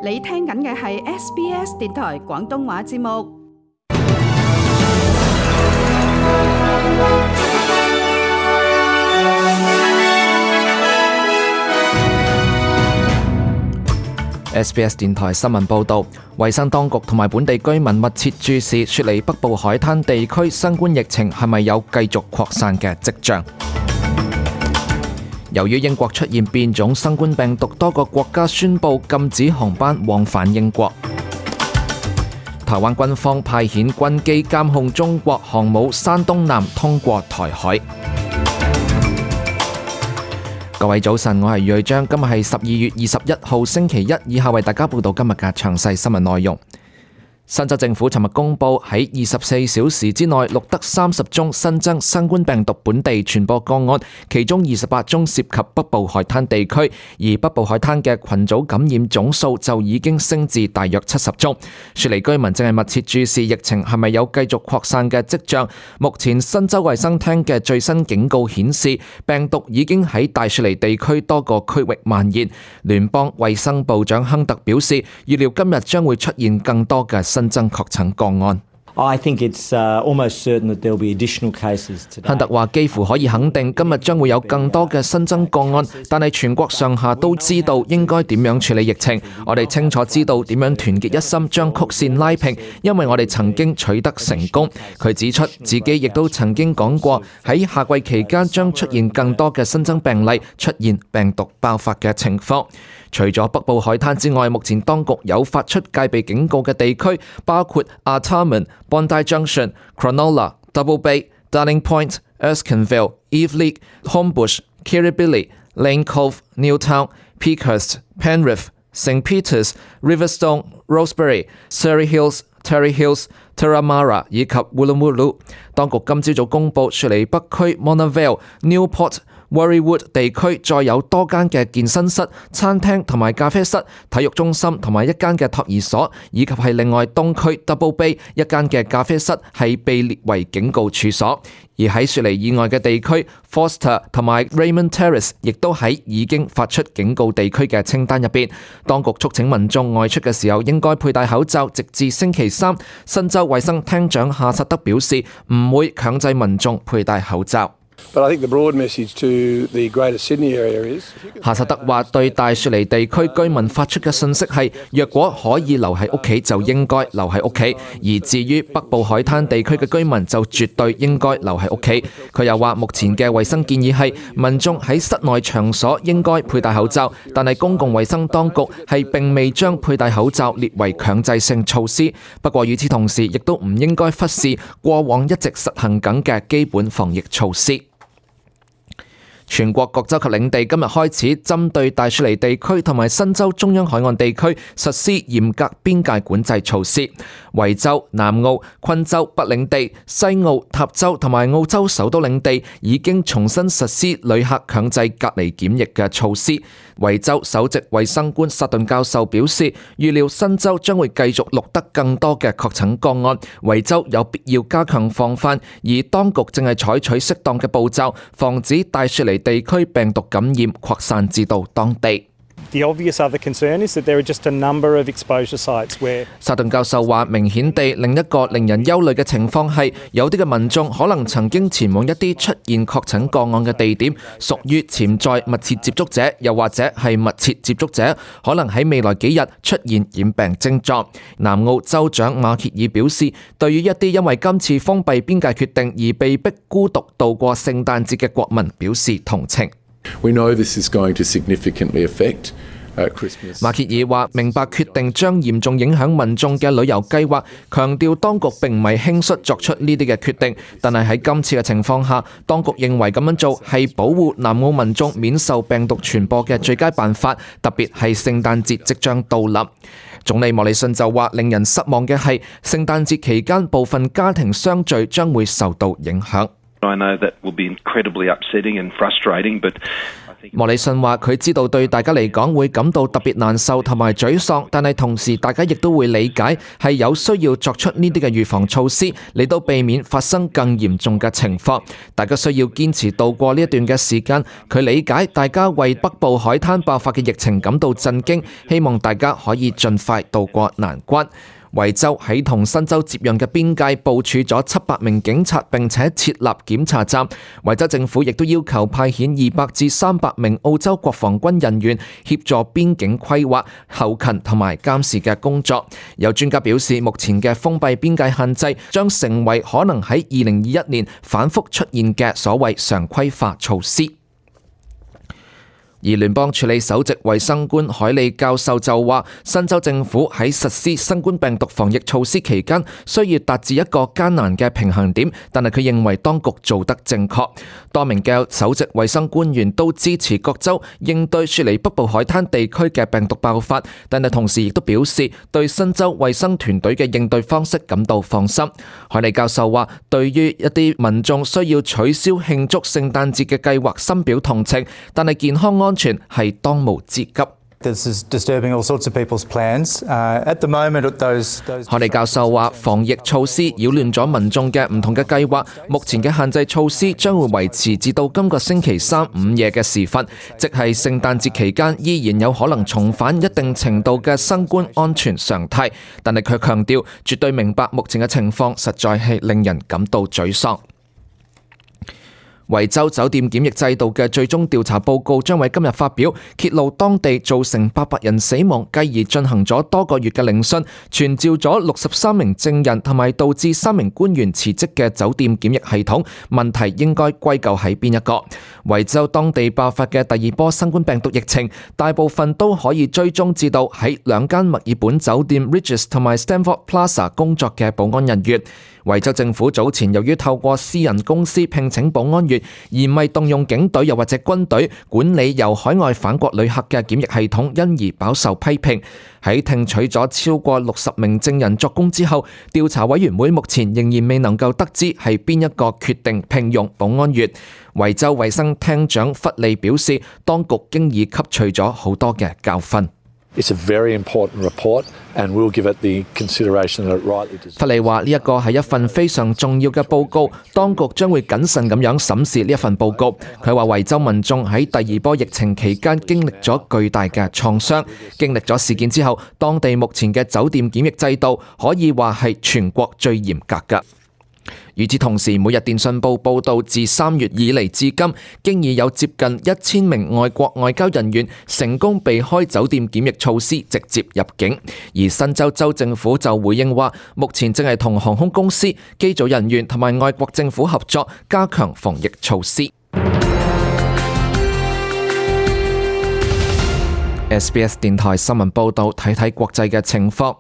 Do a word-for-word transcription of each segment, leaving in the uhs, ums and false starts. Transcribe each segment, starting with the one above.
你聽緊嘅係 S B S 電台廣東話節目。S B S 電台新聞報導，衛生當局同埋本地居民密切注視雪梨北部海灘地區新冠疫情係咪有繼續擴散嘅跡象。由於英國出現變種新冠病毒，多個國家宣布禁止航班往返英國。台灣軍方派遣軍機監控中國航母山東艦通過台海。各位早晨，我係瑞章，今日係十二月二十一號星期一，以下為大家報道今日嘅詳細新聞內容。新州政府尋日公布喺二十四小時之內錄得三十宗新增新冠病毒本地傳播個案，其中二十八宗涉及北部海灘地區，而北部海灘嘅群組感染總數就已經升至大約七十宗。雪梨居民正係密切注視疫情係咪有繼續擴散嘅跡象。目前新州衛生廳嘅最新警告顯示，病毒已經喺大雪梨地區多個區域蔓延。聯邦衛生部長亨特表示，預料今日將會出現更多嘅新增確診個案。I think it's uh, almost certain that there'll be additional cases today. 亨特話幾乎可以肯定今日將會有更多嘅新增個案，但係全國上下都知道應該點樣處理疫情。我哋清楚知道點樣團結一心將曲線拉平，因為我哋曾經取得成功。佢指出自己亦都曾經講過喺夏季期間將出現更多嘅新增病例，出現病毒爆發嘅情況。除咗北部海灘之外，目前當局有發出戒備警告嘅地區，包括 Artarmon、Bondi Junction、Cronulla、Double Bay、Darling Point、Eastleigh、Homebush、Kirribilli、Lane Cove、Newtown、Peakhurst、Penrith、Saint Peters、Riverstone、Rosebery、Surrey Hills、Terry Hills、Turramurra 以及 Woolloomooloo。當局今朝早公佈，雪梨北區 Mona Vale、Newport、Warriewood 地區再有多間嘅健身室、餐廳同埋咖啡室、體育中心同埋一間嘅托兒所，以及係另外東區 Double Bay 一間嘅咖啡室係被列為警告處所。而喺雪梨以外嘅地區 Forster 同埋 Raymond Terrace 亦都喺已經發出警告地區嘅清單入邊。當局促請民眾外出嘅時候應該佩戴口罩，直至星期三。新州衛生廳長夏薩德表示唔會強制民眾佩戴口罩。But I think the broad message to the Greater Sydney area is 夏薩德話對大雪梨地區居民發出嘅信息係，若果可以留喺屋企就應該留喺屋企，而至於北部海灘地區嘅居民就絕對應該留喺屋企。佢又話目前嘅衛生建議係民眾喺室內場所應該佩戴口罩，但係公共衛生當局係並未將佩戴口罩列為強制性措施。不過與此同時，亦都唔應該忽視過往一直實行緊嘅基本防疫措施。全國各州及領地今日開始針對大雪梨地區同埋新州中央海岸地區實施嚴格邊界管制措施。維州、南澳、昆州、北領地、西澳、塔州同埋澳洲首都領地已經重新實施旅客強制隔離檢疫嘅措施。維州首席衛生官薩頓教授表示，預料新州將會繼續錄得更多嘅確診個案，維州有必要加強防範，而當局正係採取適當嘅步驟，防止大雪梨地區病毒感染擴散至到當地。The obvious other concern is that there are just a number of exposure sites where 薩頓教授話，明顯地另一個令人憂慮嘅情況係，有啲嘅民眾可能曾經前往一啲出現確診個案嘅地點，屬於潛在密切接觸者，又或者係密切接觸者，可能喺未來幾日出現染病症狀。南澳州長馬歇爾表示，對於一啲因為今次封閉邊界決定而被迫孤獨度過聖誕節嘅國民表示同情。We know this is going to significantly affect Christmas. 馬歇爾話：明白決定將嚴重影響民眾嘅旅遊計劃，強調當局並唔係輕率作出呢啲嘅決定，但係喺今次嘅情況下，當局認為咁樣做係保護南澳民眾免受病毒傳播嘅最佳辦法，特別係聖誕節即將到臨。總理莫里遜就話：令人失望嘅係聖誕節期間部分家庭相聚將會受到影響。I know that will be incredibly upsetting and frustrating, but 莫里遜話佢知道對大家嚟講會感到特別難受同埋沮喪，但係同時大家亦都會理解係有需要作出呢啲嘅預防措施嚟到避免發生更嚴重嘅情況。大家需要堅持度過呢一段嘅時間。佢理解大家為北部海灘爆發嘅疫情感到震驚，希望大家可以盡快渡過難關。維州喺同新州接壤嘅邊界部署咗七百名警察，並且設立檢查站。維州政府亦都要求派遣二百至三百名澳洲國防軍人員協助邊境規劃、後勤同埋監視嘅工作。有專家表示，目前嘅封閉邊界限制將成為可能喺二零二一年反覆出現嘅所謂常規化措施。而聯邦處理首席衛生官海利教授就話，新州政府喺實施新冠病毒防疫措施期間，需要達至一個艱難嘅平衡點，但係佢認為當局做得正確。多名嘅首席衛生官員都支持各州應對雪梨北部海灘地區嘅病毒爆發，但係同時亦都表示對新州衛生團隊嘅應對方式感到放心。海利教授話，對於一啲民眾需要取消慶祝聖誕節嘅計劃深表同情，但係健康安全係當務之急。海利教授話，防疫措施擾亂咗民眾嘅唔同嘅計劃。目前嘅限制措施將會維持至到今個星期三午夜嘅時分，即係聖誕節期間，依然有可能重返一定程度嘅新冠安全常態。但係佢強調，絕對明白目前嘅情況實在係令人感到沮喪。維州酒店檢疫制度嘅最終調查報告將喺今日發表，揭露當地造成八百人死亡，繼而進行咗多個月嘅聆訊，傳召咗六十三名證人，同埋導致三名官員辭職嘅酒店檢疫系統問題應該歸咎喺邊一個？維州當地爆發嘅第二波新冠病毒疫情，大部分都可以追蹤至到喺兩間墨爾本酒店 Regis 同埋 Stamford Plaza 工作嘅保安人員。維州政府早前由於透過私人公司聘請保安員，而唔係動用警隊又或者軍隊管理由海外返國旅客嘅檢疫系統，因而飽受批評。喺聽取咗超過六十名證人作供之後，調查委員會目前仍然未能夠得知係邊一個決定聘用保安員。維州衛生廳長弗利表示，當局經已吸取咗好多嘅教訓。It's a very important report, and we'll give it the consideration that it rightly deserves. 弗利話呢一個係一份非常重要嘅報告，當局將會謹慎咁樣審視呢一份報告。佢話維州民眾喺第二波疫情期間經歷咗巨大嘅創傷，經歷咗事件之後，當地目前嘅酒店檢疫制度可以話係全國最嚴格㗎。與此同時，每日電訊報報道，自三月以嚟至今，經已有接近一千名外國外交人員成功避開酒店檢疫措施，直接入境。而新州州政府就回應話，目前正係同航空公司、機組人員同埋外國政府合作，加強防疫措施。S B S 電台新聞報道，睇睇國際嘅情況。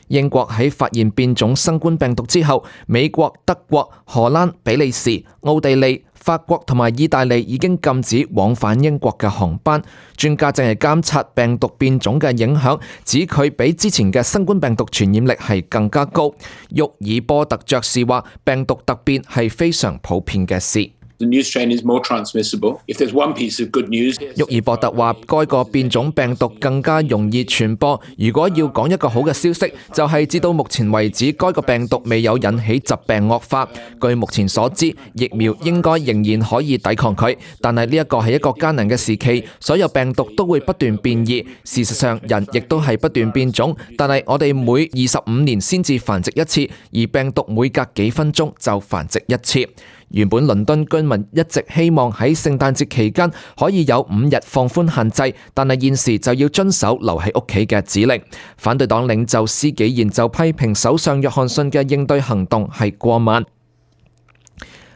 英國喺發現變種新冠病毒之後，美國、德國、荷蘭、比利時、奧地利、法國同埋意大利已經禁止往返英國嘅航班。專家正係監察病毒變種嘅影響，指佢比之前嘅新冠病毒傳染力係更加高。沃爾波特爵士話，病毒突變係非常普遍嘅事。The new strain is more transmissible. If there's one piece of good news, 沃爾伯特話，該個變種病毒更加容易傳播。如果要講一個好嘅消息，就係至到目前為止，該個病毒未有引起疾病惡化。據目前所知，疫苗應該仍然可以抵抗佢。但係呢一個係一個艱難嘅時期，所有病毒都會不斷變異。事實上，人亦都係不斷變種。但係我哋每二十五年先至繁殖一次，而病毒每隔幾分鐘就繁殖一次。原本倫敦居民一直希望喺聖誕節期間可以有五日放寬限制，但係現時就要遵守留喺屋企嘅指令。反對黨領袖施紀賢就批評首相約翰遜嘅應對行動係過慢。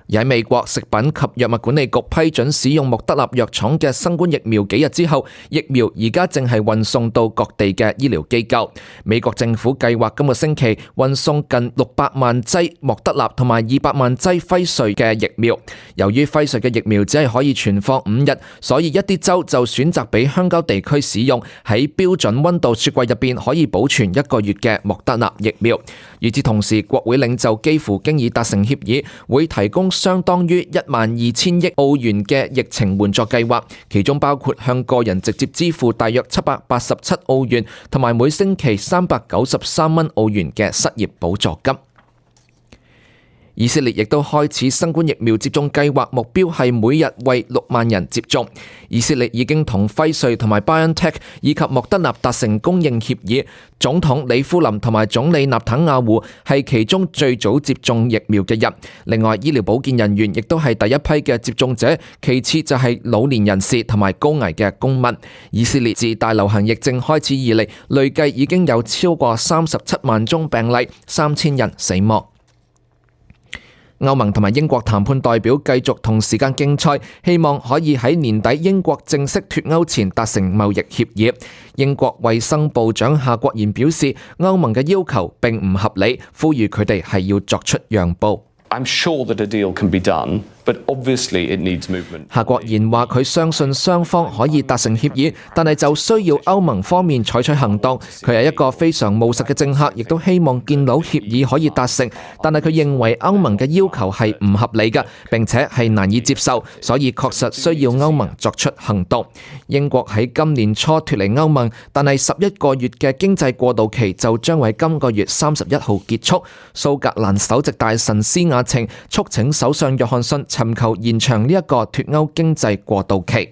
而喺美國食品及藥物管理局批准使用莫德納藥廠嘅新冠疫苗幾日之後，疫苗而家正係運送到各地嘅醫療機構。美國政府計劃今個星期運送近六百萬劑莫德納同埋二百萬劑輝瑞嘅疫苗。由於輝瑞嘅疫苗只係可以存放五日，所以一啲州就選擇俾鄉郊地區使用喺標準溫度雪櫃入邊可以保存一個月嘅莫德納疫苗。與此同時，國會領袖幾乎經已達成協議，會提供相當於一萬二千億澳元嘅疫情援助計劃，其中包括向個人直接支付大約七百八十七澳元，同埋每星期三百九十三蚊澳元嘅失業補助金。以色列亦都開始新冠疫苗接種計劃，目標係每日為六萬人接種。以色列已經同輝瑞同埋 BioNTech 以及莫德納達成供應協議。總統李夫林同埋總理納坦亞胡係其中最早接種疫苗嘅人。另外，醫療保健人員亦都係第一批嘅接種者，其次就係老年人士同埋高危嘅公民。以色列自大流行疫症開始以嚟，累計已經有超過三十七萬宗病例，三千人死亡。歐盟同埋英國談判代表繼續同時間競賽，希望可以喺年底英國正式脫歐前達成貿易協議。英國衛生部長夏國賢表示，歐盟嘅要求並唔合理，呼籲佢哋係要作出讓步。I'm sure that a deal can be done, but obviously it needs movement. 夏國賢話佢相信雙方可以達成協議，但係就需要歐盟方面採取行動。佢係一個非常務實嘅政客，亦都希望見到協議可以達成，但係佢認為歐盟嘅要求係唔合理嘅，並且係難以接受，所以確實需要歐盟作出行動。英國喺今年初脫離歐盟，但係十一個月嘅經濟過渡期就將喺今個月三十一號結束。蘇格蘭首席大臣施雅晴促請首相約翰遜尋求延長呢一個脫歐經濟過渡期。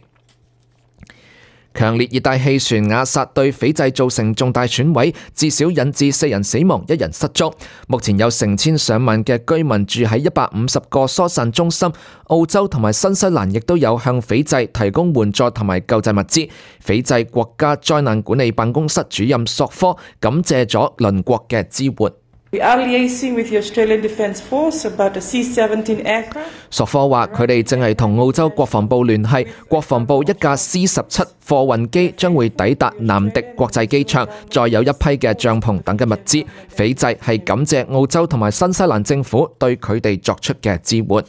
強烈熱帶氣旋雅薩對斐濟造成重大損毀，至少引致四人死亡，一人失蹤。目前有成千上萬嘅居民住喺一百五十個疏散中心。澳洲同埋新西蘭亦都有向斐濟提供援助同埋救濟物資。斐濟國家災難管理辦公室主任索科感謝咗鄰國嘅支援。We are liaising with the Australian Defence Force about a C seventeen aircraft. 索科話：佢哋正係同澳洲國防部聯繫，國防部一架 C 十七貨運機將會抵達南迪國際機場，再有一批嘅帳篷等嘅物資。斐濟係感謝澳洲同埋新西蘭政府對佢哋作出嘅支援。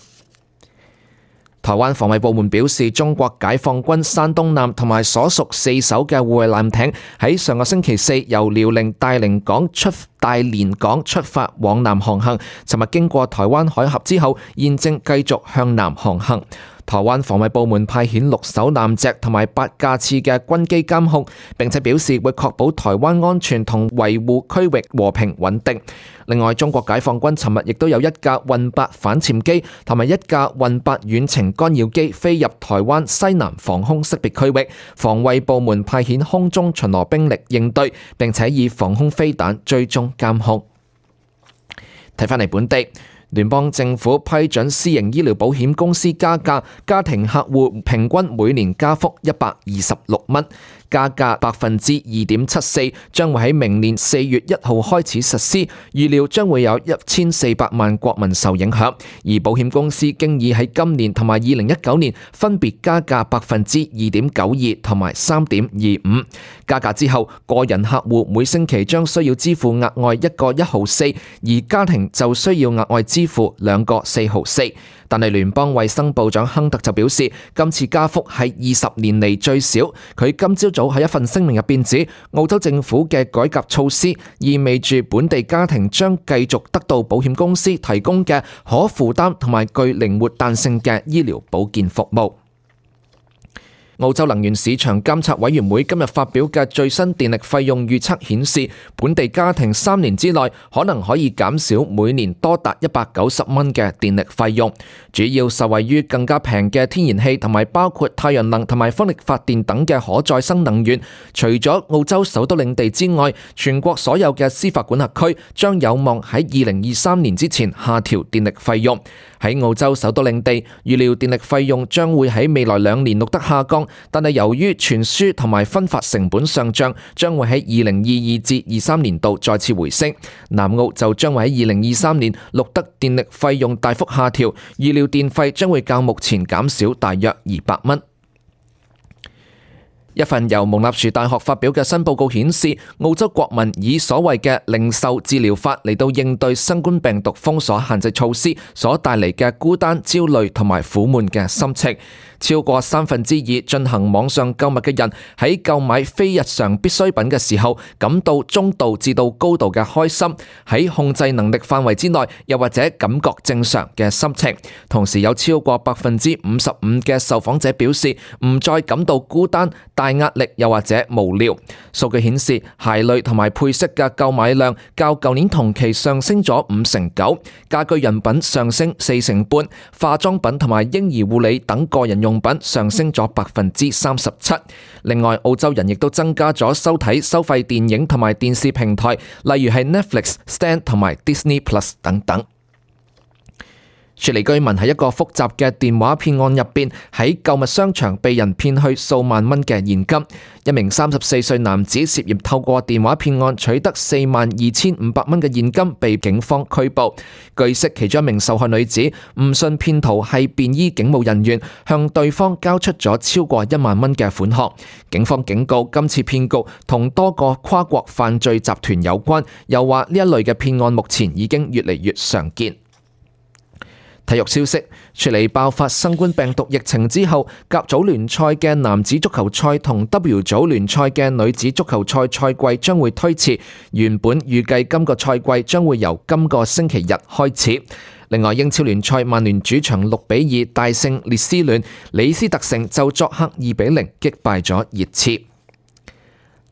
台灣防衛部門表示，中國解放軍山東艦同埋所屬四艘嘅護衛艦艇喺上個星期四由遼寧大連港出大連港出發往南航行，尋日經過台灣海峽之後，現正繼續向南航行。台灣防衛部門派遣六艘艦隻同埋八架次嘅軍機監控，並且表示會確保台灣安全同維護區域和平穩定。另外，中國解放軍尋日亦都有一架運八反潛機同埋一架運八遠程干擾機飛入台灣西南防空識別區域，防衛部門派遣空中巡邏兵力應對，並且以防空飛彈追蹤監控。睇返嚟本地。聯邦政府批准私營醫療保險公司加價，家庭客戶平均每年加幅一百二十六蚊，加價百分之二點七四，將會喺明年四月一號開始實施，預料將會有一千四百萬國民受影響。而保險公司經已喺今年同埋二零一九年分別加價百分之二點九二同埋三點二五。加價之後，個人客戶每星期將需要支付額外一個一毫四，而家庭就需要額外支付兩個四毫四。但係聯邦衛生部長亨特就表示，今次加幅係二十年嚟最少。佢今朝早喺一份聲明入邊指，澳洲政府嘅改革措施意味住本地家庭將繼續得到保險公司提供嘅可負擔同埋具靈活彈性嘅醫療保健服務。澳洲能源市場監察委員會今日發表嘅最新電力費用預測顯示，本地家庭三年之內可能可以減少每年多達一百九十蚊嘅電力費用，主要受惠於更加平嘅天然氣同埋包括太陽能同埋風力發電等嘅可再生能源。除咗澳洲首都領地之外，全國所有嘅司法管轄區將有望喺二零二三年之前下調電力費用。喺澳洲首都領地，預料電力費用將會喺未來兩年錄得下降，但係由於傳輸同埋分發成本上漲，將會喺二零二二至二三年度再次回升。南澳就將會喺二零二三年錄得電力費用大幅下調，預料電費將會較目前減少大約二百蚊。一份由蒙納殊大學發表嘅新報告顯示，澳洲國民以所謂嘅零售治療法嚟到應對新冠病毒封鎖限制措施所帶嚟嘅孤單、焦慮同埋苦悶嘅心情。超過三分之二進行網上購物嘅人喺購買非日常必需品嘅時候感到中度至到高度嘅開心，喺控制能力範圍之內，又或者感覺正常嘅心情。同時有超過百分之五十五嘅受訪者表示唔再感到孤單、大壓力又或者無聊。數據顯示，鞋類同埋配飾嘅購買量較舊年同期上升咗五成九，家居用品上升四成半，化妝品同埋嬰兒護理等個人用品上升咗百分之三十七。另外，澳洲人亦都增加咗收睇收費電影同埋電視平台，例如係 Netflix、Stan 同埋 Disney Plus 等等。雪梨居民喺一個複雜嘅電話騙案入邊，喺購物商場被人騙去數萬蚊嘅現金。一名三十四歲男子涉嫌透過電話騙案取得四萬二千五百蚊嘅現金，被警方拘捕。據悉，其中一名受害女子誤信騙徒係便衣警務人員，向對方交出咗超過一萬蚊嘅款項。警方警告今次騙局同多個跨國犯罪集團有關，又話呢一類嘅騙案目前已經越嚟越常見。體育消息，雪梨爆發新冠病毒疫情之後，甲組聯賽嘅男子足球賽同 W 組聯賽嘅女子足球賽賽季將會推遲，原本預計今個賽季將會由今個星期日開始。另外，英超聯賽曼聯主場六比二大勝列斯聯，李斯特城就作客二比零擊敗咗熱刺。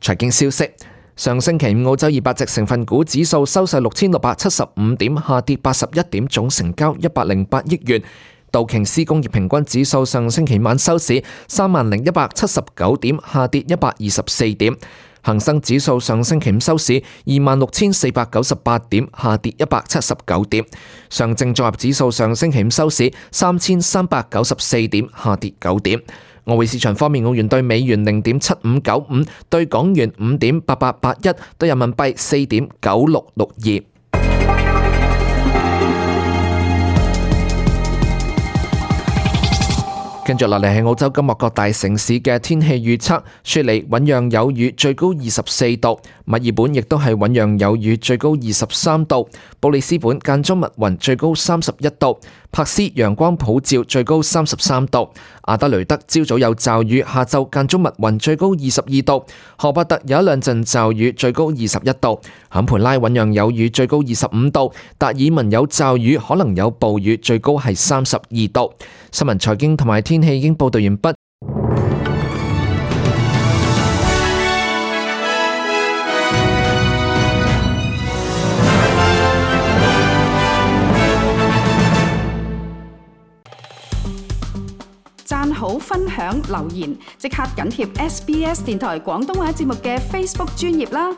財經消息，上星期五澳洲二百隻成分股指數收市六千六百七十五點，下跌八十一點，總成交一百零八億元。道瓊斯工業平均指數上星期晚收市三萬零一百七十九點，下跌一百二十四點。恒生指數上星期五收市二萬六千四百九十八點，下跌一百七十九點。上證綜合指數上星期五收市三千三百九十四點，下跌九點。外匯市場方面，澳元兌美元零點七五九五，兌港元五點八八八一，兌人民幣四點九六六二。跟住落嚟係澳洲今日各大城市嘅天氣預測：雪梨醞釀有雨，最高二十四度；墨爾本亦都係醞釀有雨，最高二十三度；布里斯本間中密雲，最高三十一度；柏斯陽光普照，最高三十三度；阿德雷德朝早有驟雨，下晝間中密雲，最高二十二度；荷伯特有一兩陣驟雨，最高二十一度；坎培拉醞釀有雨，最高二十五度；達爾文有驟雨，可能有暴雨，最高係三十二度。新聞財經同埋天氣已經報道完畢。讚好、分享、留言，即刻緊貼 S B S 電台廣東話節目嘅 Facebook 專頁啦！